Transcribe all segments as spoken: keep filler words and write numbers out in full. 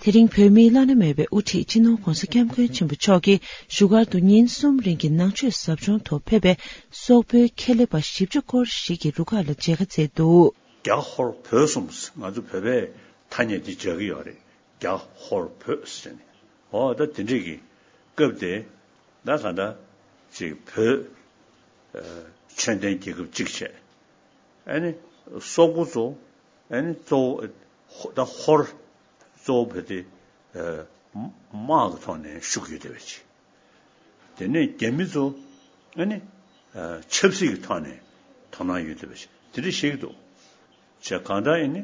དེ་རིང་བོད་མིའི་བླ་ན་མེད་པའི་དབུ་ཁྲིད་སྤྱི་ནོར་༧གོང་ས་༧སྐྱབས་མགོན་ཆེན་པོ་མཆོག་གིས་བཞུགས་སྒར་དུ་ཉིན་གསུམ་རིང་གི་ནང་ཆོས་ཟབ་སྦྱོང་ཐོག་ཕེབས་པའི་སོག་པོའི་ཁེ་ལས་པ་བཞི་བཅུ་སྐོར་ཞིག་གི་རུ་ཁག་ལ་མཇལ་ཁ་བསྩལ་འདུག་རྒྱ་ཧོར་བོད་གསུམ། ང་ཚོ་བོད་པའི་ཐ་སྙད་འདི་སྦྱར་གྱི་ཡོད་རེད། རྒྱ་ཧོར་བོད་ཟེར་ནས། འོ་ད་དེ་འདྲས་ཀྱི་སྐབས་དེ་ད་ག་འདྲ་ཅིག་བོད་ཨ་ཆོས་ལྡན་རྒྱལ་ཁབ་གཅིག་བྱས། ཨ་ནི་སོག་པོ་ཚོ་ཨ་ནི་གཙོ་བོ་ད་ཧོར་གཙོ་བོ་བོད་དེ་ཨ་དམག་གི་ཐོག་ནས་ཤུགས་ཡོད་བསྡད་པ་ཅིག་དེ་ནས་རྒྱ་མི་ཚོ་ཨ་ནི་ཨ་ཆབ་སྲིད་ཀྱི་ཐོག་ནས་དོ་སྣང་ཡོད་བསྡད་པ་ཅིག་དེ་འདྲ་བཤད་ཀྱི་འདུག་བྱས་གང་ལྟར་ཡིན་ནི།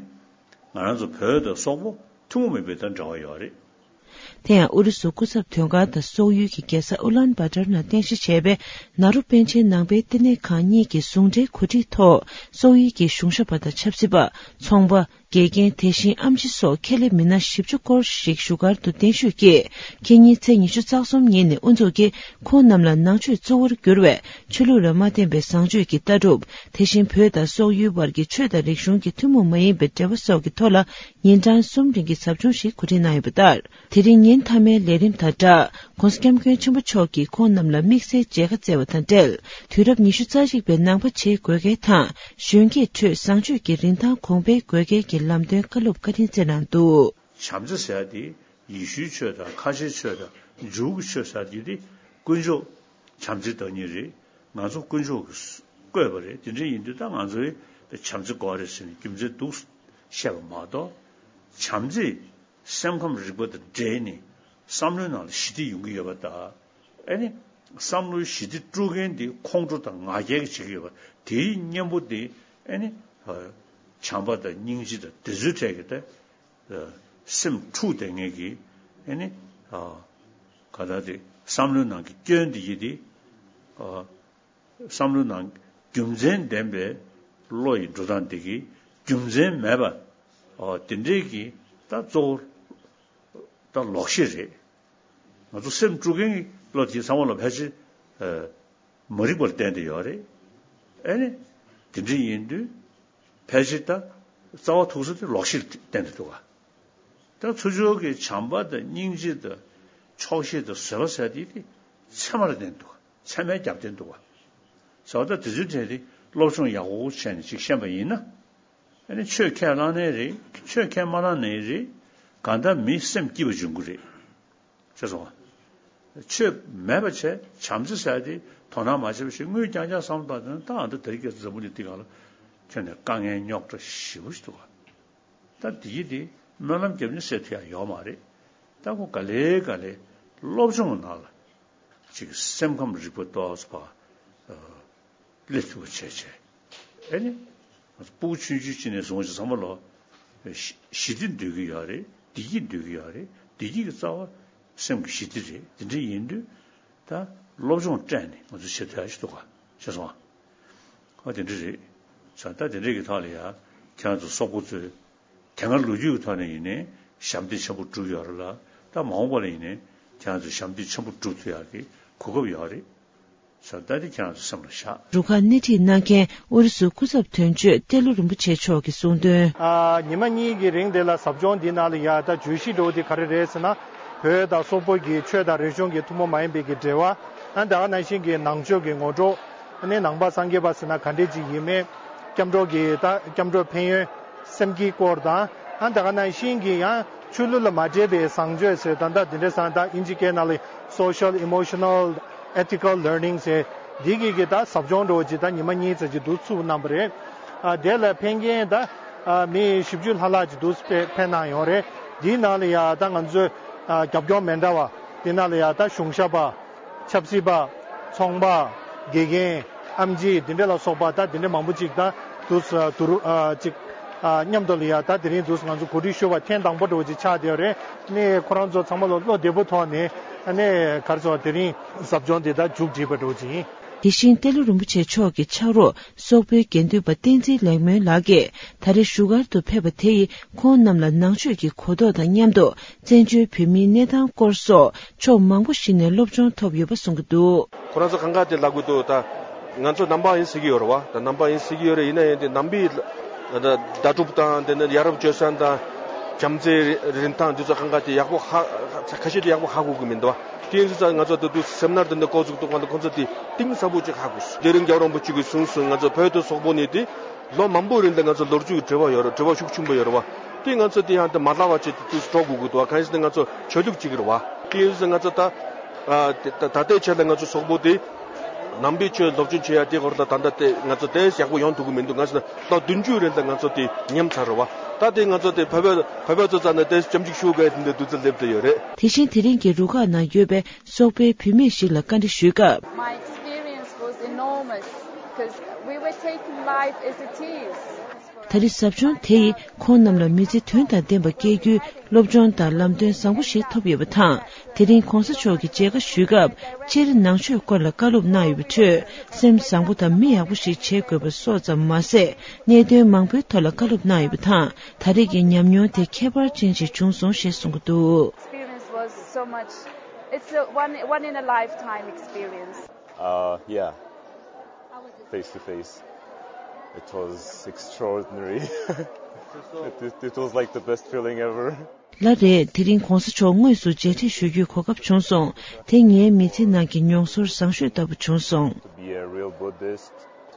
ང་རང་ཚོ་བོད་དང་སོག་པོ་ཐུན་མོང་མིན་པའི་དང་འབྲེལ་བ་ཡོད་རེད། དེ་ཡང་ཨུ་རུ་སུ་སྐུ་ཚབ་དོན་ཁང་དང་སོག་ཡུལ་གྱི་རྒྱལ་ས་ཨུ་ལན་བྷ་ཏར་ནང་རྟེན་གཞི་བྱས་པའི་ནཱ་རོ་པཎ་ཆེན་ནང་པའི་བསྟི་གནས་ཁང་གཉིས་ཀྱི་ཟུང་འབྲེལ་གོ་སྒྲིག་ཐོག་སོག་ཡུལ་གྱི་གཞུང་ཞབས་པ་དང་ཆབ་སྲིད་པ། ཚོང་པ། དགེ་རྒན། དེ་བཞིན་ཨེམ་ཆི་སོགས་ཁེ་ལས་མི་སྣ་བཞི་བཅུ་སྐོར་ཞིག་བཞུགས་སྒར་དུ་གདན་ཞུས་ཀྱིས། ཁེ་ཉིན་ཚེས་ཉི་ཤུ་རྩ་གསུམ་ཉིན་ནས་དབུ་འཛུགས་ཀྱིས་ཁོང་རྣམས་ལ་ནང་ཆོས་གཙོ་བོར་གྱུར་བའི་ཆོས་ལུགས་ལ་མ་བརྟེན་པའི་བཟང་སྤྱོད་ཀྱི་ལྟ་གྲུབ། དེ་བཞིན་བོད་དང་སོག་ཡུལ་བར་གྱི་ཆོས་དང་རིག་གཞུང་གི་ཐུན་མོང་མ་ཡིན་པའི་འབྲེལ་བ་སོགས་ཀྱི་ཐོག་ལ་ཉིན་གྲངས་གསུམ་རིང་གི་ཟབ་སྦྱོང་ཞིག་གོ་སྒྲིག་གནང་ཡོད་པ་ལྟར། དེ་རིང་ཉིན་མཐའ་མའི་ལས་རིམ་དང་སྦྲགས། ྋགོང་ས་ྋསྐྱབས་མགོན་ཆེན་པོ་མཆོག་གིས་ཁོང་རྣམས་ལ་དམིགས་བསལ་མཇལ་ཁ་བསྩལ་བ་དང་འབྲེལ། དུས་རབས་ཉི་ཤུ་རྩ་གཅིག་པའི་ནང་པ་བྱེད་དགོས་གལ་དང་། གཞོན་སྐྱེས་ཁྲོད་བཟང་སྤྱོད་ཀྱི་རིན་ཐང་གོང་འཕེལ་དགོས་གལ་གྱི་ལམ་སྟོན་བཀའ་སློབ་བཀའ་དྲིན་སྩལ་གནང་འདུག་བྱམས་བརྩེ་ཟེར་ཡ་དེ་ཡེ་ཤུའི་ཆོས་དང་ཁ་ཆེའི་ཆོས་དང་འཇུའུ་གི་ཆོས་ཟེར་ཡ་དེ་དེ་དཀོན་མཆོག་བྱམས་བརྩེའི་བདག་ཉིད་རེད། ང་ཚོ་དཀོན་མཆོག་གིས་བཀོད་པ་རེད། དེ་འདྲ་ཡིན་དུས་ད་ང་ཚོས་བྱམས་བརྩེ་དགོས་རེད་ཟེར་ནས་རྒྱུ་མཚན་འདུག་བཤད་པ་མ་གཏོགས། བྱམས་བརྩེ་སེམས་ཁམས་རིག་པ་དང་འབྲེལ་ནས་བསམ་བློའི་ནང་ལ་ཞི་བདེ་ཡོང་གི་ཡོད་པ་དང་། ཨ་ནི་བསམ་བློའི་ཞི་བདེ་དཀྲུག་མཁན་དེ་ཁོང་ཁྲོ་དང་ང་རྒྱལ་གྱིས་བྱེད་ཀྱི་ཡོད་པ་དེའི་གཉེན་པོ་དེ་ཨ་ནི་བྱམས་པ་དང་སྙིང་རྗེ་དང་དེ་ཚོའི་གྲས་ཀྱི་ད་སེམས་འཁྲུགས་བསྡད་མཁན་གྱི་ཨ་ནི་ག་ད་དེ་བསམ་བློའི་ནང་གི་སྐྱོན་དེ་ཡི་དེ། བསམ་བློའི་ནང་རྒྱུ་མཚན་ལྡན་པའི་བློ་ཡི་འགྲོ་སྟངས་འདི་གིས་རྒྱུ་མཚན་མེད་པ། ཨོ་དེ་འདྲའི་གི་ད་གཙོ་བོ་ད་ལོག་ཤེས་རེད། ང་ཚོ་སེམས་དཀྲུག་མཁན་གྱི་བློ་དེ་ཚང་མ་ལ་ཕལ་ཆེར་མ་རིག་པར་བརྟེན་ཏེ་ཡོད་རེད། ཨེ་ནི་དེ་འདྲ་ཡིན་དུས་ཕལ་ཆེར་ད་རྩ་བ་ཐུག་ས་དེ་ལོག་ཤེས་བརྟེན་ཏེ་འདུག་ག་ད་ཚུར་ཕྱོགས་ཀྱི་བྱམས་པ་དང་སྙིང་རྗེ་དང་ཆོག་ཤེས་དང་བཟོད་པ་ཟེར་དེ་དེ་ཚད་མར་ལྡན་འདུག་ཚད་མའི་རྒྱབ་རྟེན་འདུག་བ། ཟེར་བ་ད་དེ་ཚོའི་གྲས་དེ་སློབ་སྦྱོང་ཡག་པོ་བྱས་ནས་ཅིག་ཤེས་པ་ཡིན་ན། ཨ་ནི་ཆོས་ཁས་བླངས་ནའི་རེད། ཆོས་ཁས་མ་བླངས་ནའི་རེད། གང་ལྟར་མི་སེམས་སྐྱིད་པ་འབྱུང་གི་རེད། ཤེས་སོང་ང་། ཆོས་མེད་པ་བྱས་བྱམས་བརྩེ་ཟེར་དེ་དོ་སྣང་མ་བྱས་པ་ཞིག་དངུལ་རྐྱང་རྐྱང་བསམ་པ་དང་ད་ཨ་ད་དེ་རིང་ཁ་སང་འཛམ་བུ་གླིང་འདི་སྒང་ལ་ཁྱོན་ནས་དཀའ་ངལ་རྙོག་དྲ་ཞེ་པོ་ཞིག་འདུག་ག་ད་དེ་ཡི་དེ་སྨོན་ལམ་རྒྱབ་ནས་སེལ་ཐུབ་ཡ་ཡོད་མ་རེད། ད་ཁོ་ག་ལེ་ག་ལེ་སློབ་སྦྱོང་ནང་ལ་ཅིག་སེམས་ཁམས་རིག་པ་ཏོག་ཙམ་ཕར་སླེབས་ཐུབ་པ་བྱས་བྱས། ཨེ་ནི་ང་ཚོ་སྤུ་གུ་ཆུང་ཆུང་ཅིག་ནས་བཟུང་ཅིག་ཚང་མ་ལོ་ཞི་བདེ་འདོད་ཀྱི་ཡོད་རེད། བདེ་སྐྱིད་འདོད་ཀྱི་ཡོད་རེད། བདེ་སྐྱིད་ཀྱི་རྩ་བ་སེམས་ཀྱི་ཞི་བདེ་རེད། དེ་འདྲ་ཡིན་དུས་ད་སློབ་སྦྱོང་སྤྲད་ནས་ང་ཚོ་བྱེད་ཐུབ་ཡ་ཞིག་འདུག་ག་ཤེས་སོང་ང་། ཨ་དེ་འདྲ་རེད། ས་ད་དེ་འདྲ་གི་ཐོག་ལ་ཡ་ཁྱེད་རང་ཚོ་སོག་པོ་ཚོས་དེ་སྔ་ལོ་རྒྱུས་ཀྱི་ཐོག་ནས་ཡིན་ནའི་ཞབས་འདེགས་ཆེན་པོ་བསྒྲུབས་ཡོད་རེད་ལ། ད་མ་འོངས་པ་ལ་ཡིན་ནའི་ཁྱེད་རང་ཚོས་ཞབས་འདེགས་ཆེན་པོ་བསྒྲུབ་ཐུབ་ཡག་གི་གོ་སྐབས་ཡོད་རེད། ས་ད་དེ་ཁྱེད་རང་ཚོ་སེམས་ལ་བཞག་རུ་ཁག་སྣེ་ཁྲིད་གནང་མཁན་ཨུ་རུ་སུའི་སྐུ་ཚབ་དོན་གཅོད་ཏེ་ལོ་རིན་པོ་ཆེ་མཆོག་གིས་གསུངས་དོན། ཨ་ཉི་མ་གཉིས་ཀྱི་རིང་དེ་ལ་ཟབ་སྦྱོང་འདི་ནང་ལ་ཡ་ད་བརྗོད་གཞི་འདྲ་བོ་དེ་ག་རེ་རེད་ཟེར་ན། བོད་དང་སོག་པོ་གི་ཆོས་དང་རིག་གཞུང་གི་ཐུན་མོང་མ་ཡིན་པའི་གི་འབྲེལ་བ། ཨ་ད་ག་ནང་བཞིན་གྱི་ནང་ཆོས་ཀྱི་ངོ་སྤྲོད། ཨ་ནི་ནང་པ་སངས་རྒྱས་པ་ཟེར་ན་ག་འདྲས་ཅིག་ཡིན་མིན། སྐྱབས་འགྲོ་གི་ད་སྐྱབས་འགྲོའི་ཕན་ཡོན། སེམས་བསྐྱེད་སྐོར་དང་། ཨ་ད་ག་ནང་བཞིན་གྱི་ཡང་ཆོས་ལུགས་ལ་མ་འདྲེས་པའི་བཟང་སྤྱོད་ཟེར་ད་ལྟ་འདི་འདྲས་ཟེར་ད་ཨིན་ཇི་སྐད་ནང་ལ་social emotional ethical learning ཟེར་འདི་གི་གི་ད་ཟབ་སྦྱོང་འདྲ་བོ་ཅིག་ད་ཉི་མ་གཉིས་ཙམ་ཅིག་འདུག་ཚུགས་གནང་པ་རེད། ཨ་དེ་ལ་ཕེབས་མཁན་ད་ཨ་མི་བཞི་བཅུ་ལྷག་ལྷག་ཅིག་འདུག་ཕེབས་ཕེབས་གནང་ཡོང་རེད། འདིའི་ནང་ལ་ཡ་ད་ང་ཚོའི་ཨ་རྒྱབ་སྐྱོར་མི་འདྲ་བ་འདི་ནང་ལ་ཡ་ད་གཞུང་ཞབས་པ། ཆབ་སྲིད་པ། ཚོང་པ། དགེ་རྒན། ཨེམ་ཆི་འདི་འདྲ་ལ་སོགས་པ་ད་འདི་འདྲ་མང་པོ་ཅིག་ད་དུས་དུ་རུ་ཨ་ཅིག་ཨ་མཉམ་དུ་ལ་ཡ་ད་དེ་རིང་དུས་ང་ཚོ་གོ་སྒྲིག་ཞུ་བ་ཐེངས་དང་པོ་འདྲ་བོ་ཅིག་ཆགས་བསྡད་ཡོད་རེད། ནས་ཁོ་རང་ཚོ་ཚང་མ་ལ་བློ་བདེ་པོ་ཐོག་ནས་ཨ་ནས་ག་རེ་ཟེར་དེ་རིང་ཟབ་སྦྱོང་འདི་ད་མཇུག་བསྒྲིལ་བ་འདྲ་བོ་ཅིག་ཡིན། དེ་བཞིན་ཏེ་ལོ་རིན་པོ་ཆེ་མཆོག་གི་ཕྱག་རོགས་སོག་པོའི་དགེ་འདུན་པ་བསྟན་འཛིན་ལེགས་སྨོན་ལགས་ཀྱིས་ད་རེས་བཞུགས་སྒར་དུ་ཕེབས་པ་དེ་ཡིས་ཁོང་རྣམས་ལ་ནང་ཆོས་ཀྱི་གོ་རྟོགས་དང་མཉམ་དུ། བཙན་བྱོལ་བོད་མིའི་གནས་སྟངས་སྐོར་སོགས་ཕྱོགས་མང་པོ་ཞིག་ནས་སློབ་སྦྱོང་ཐོབ་ཡོད་པ་གསུང་གི་འདུག་ཁོ་རང་ཚོ་གང་ག་དེ་ལབ་གི་འདུག་ད་ང་ཚོ་ནང་པ་ཡིན་ཟེར་གི་ཡོད་རེད་བ། ད་ནང་པ་ཡིན་ཟེར་གི་ཡོད་རེད། ཡིན་ན་ཡང་དེ་ནང་པའི་ད་ལྟ་གྲུབ་དང་དེ་ནས་ཡ་རབས་སྤྱོད་བཟང་དང་ བྱམས་བརྩེའི་རིན་ཐང་འདི་ཚོ་གང་ག་དེ་ཡག་པོ་ཧ་ཁ་ཤས་དེ་ཡག་པོ་ཧ་གོ་གི་མི་འདུག་བ། དེ་ཡིན་ཙང་ང་ཚོ་ད་དུང་སེམ་ནར་དེ་འདྲ་འགོ་བཙུགས་འདུག་ག་ལ་ཁོང་ཚོ་དེ་གཏིང་ཟབ་པོ་ཅིག་ཧ་གོ་སོང་། དེ་རིང་རྒྱལ་བ་རིན་པོ་ཆེ་གིས་གསུངས་སོང་། ང་ཚོ་བོད་དང་སོག་པོ་གཉིས་དེ་ལོ་མང་པོའི་རིང་ལ་ང་ཚོ་ལོ་རྒྱུས་ཀྱི་འབྲེལ་བ་ཡོད་རེད། འབྲེལ་བ་ཤུགས་ཆེན་པོ་ཡོད་རེད་བ། དེ་ང་ཚོ་དེ་ཡང་དེ་མ་བརླག་པ་ཅིག་དེ་དུས་སུ་འགྲོ་དགོས་ཀྱི་འདུག་བ། གང་ཡིན་ཟེར་ན་ང་ཚོ་ཆོས་ལུགས་གཅིག་རེད་བ། དེ་ཡིན་ཙང་ང་ཚོ་ད་ཨ་དེ་ད་ད་ལྟའི་ཆར་ལ་ང་ཚོ་སོག་པོ་དེ་ནང་པའི་ཆོས་སློབ་སྦྱོང་བྱེད་ཡ་དེ་སྐོར་ལ་ད་ལྟ་དེ་ང་ཚོ་དེ་ཡག་པོ་ཡོང་ཐུབ་ཀྱི་མི་འདུག་གང་ཟེར་ན་ལོ་བདུན་ཅུའི་རིང་ལ་ང་ཚོ་དེ་ཉམས་ཚར་རེད་བ། ད་དེ་ང་ཚོ་དེ་བོད་པ་བོད་པ་ཚོ་རྩ་ནས་དེ་ཅམ་གཅིག་ཤུགས་དགའི་དེ་འདྲ་དུས་ཚོད་སླེབས་བསྡད་ཡོད་རེད། དེ་བཞིན་དེ་རིང་གི་རུ་ཁག་ནང་ཡོད་པའི་སོག་པོའི་བུད་མེད་ཞིག་ལ་བཀའ་འདྲི་ཞུས་སྐབས། My experience was enormous because we were taking life as it is. ད་རེས་ཟབ་སྦྱོང་དེ་ཡིས་ཁོང་རྣམས་ལ་མི་ཚེ་དོན་དང་ལྡན་པ་སྐྱེལ་རྒྱུའི་སློབ་སྦྱོང་དང་ལམ་སྟོན་བཟང་པོ་ཞིག་ཐོབ་ཡོད་པ་དང་། དེ་རིང་གོང་ས་མཆོག་གིས་མཇལ་ཁ་ཞུས་སྐབས། སྤྱིར་ནང་ཆོས་སྐོར་ལ་བཀའ་སློབ་གནང་ཡོད་པའི་ཁྲོད། སེམས་བཟང་པོ་དང་མི་ཡག་པོ་ཞིག་བྱེད་དགོས་པ་སོགས་ཙམ་མ་ཟད། གནད་དོན་མང་པོའི་ཐོག་ལ་བཀའ་སློབ་གནང་ཡོད་པ་དང་། ད་རེས་ཀྱི་ཉམས་མྱོང་དེ་ཁྱད་པར་ཅན་ཞིག་བྱུང་སོང་ཞེས་གསུངས་ཀྱི་འདུག Experience was so much. It's a one, one in a lifetime experience. Uh, yeah. Face to face. It was extraordinary. It, it, it was like the best feeling ever. ལ་རེད། དེ་རིང་གོང་ས་མཆོག་དངོས་སུ་མཇལ་འཕྲད་ཞུ་རྒྱུའི་གོ་སྐབས་བྱུང་སོང་། དེ་ངའི་མི་ཚེ་ནང་གི་མྱོང་ཚོར་བཟང་ཤོས་ལྟ་བུ་བྱུང་སོང་། To be a real Buddhist,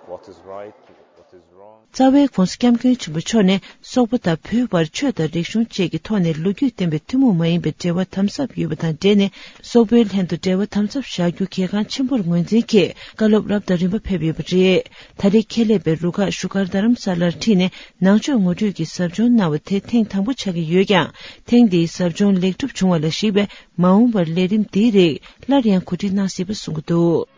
what is right, what is wrong. རྩ་བའི་༧གོང་ས་༧སྐྱབས་མགོན་ཆེན་པོ་མཆོག་ནས་སོག་པོ་དང་བོད་བར་ཆོས་དང་རིག་གཞུང་བཅས་ཀྱི་ཐོག་ནས་ལོ་རྒྱུས་ལྡན་པའི་ཐུན་མོང་མ་ཡིན་པའི་འབྲེལ་བ་དམ་ཟབ་ཡོད་པ་དང་འབྲེལ་ནས། སོག་པོའི་ལྷན་དུ་འབྲེལ་བ་དམ་ཟབ་བཞག་རྒྱུ་གལ་འགངས་ཆེན་པོར་ངོས་འཛིན་གྱིས་བཀའ་སློབ་རབ་དང་རིམ་པ་ཕེབས་ཡོད་པ་རེད། ད་རེས་ཁྱད་ལས་པའི་རུ་ཁག་བཞུགས་སྒར་རྡ་རམ་ས་ལར་ཁྲིད་ནས་ནང་ཆོས་ངོ་སྤྲོད་ཀྱི་ཟབ་སྦྱོང་གནང་བ་དེ་ཐེངས་དང་པོ་ཆགས་ཀྱི་ཡོད་ཀྱང་། ཐེངས་འདིའི་ཟབ་སྦྱོང་ལེགས་གྲུབ་བྱུང་བ་ལ་གཞིགས་པས། མ་འོངས་པར་ལས་རིམ་འདིའི་རིགས་སླར་ཡང་གོ་སྒྲིག་གནང་སྲིད་པ་གསུངས་ཀྱི་འདུག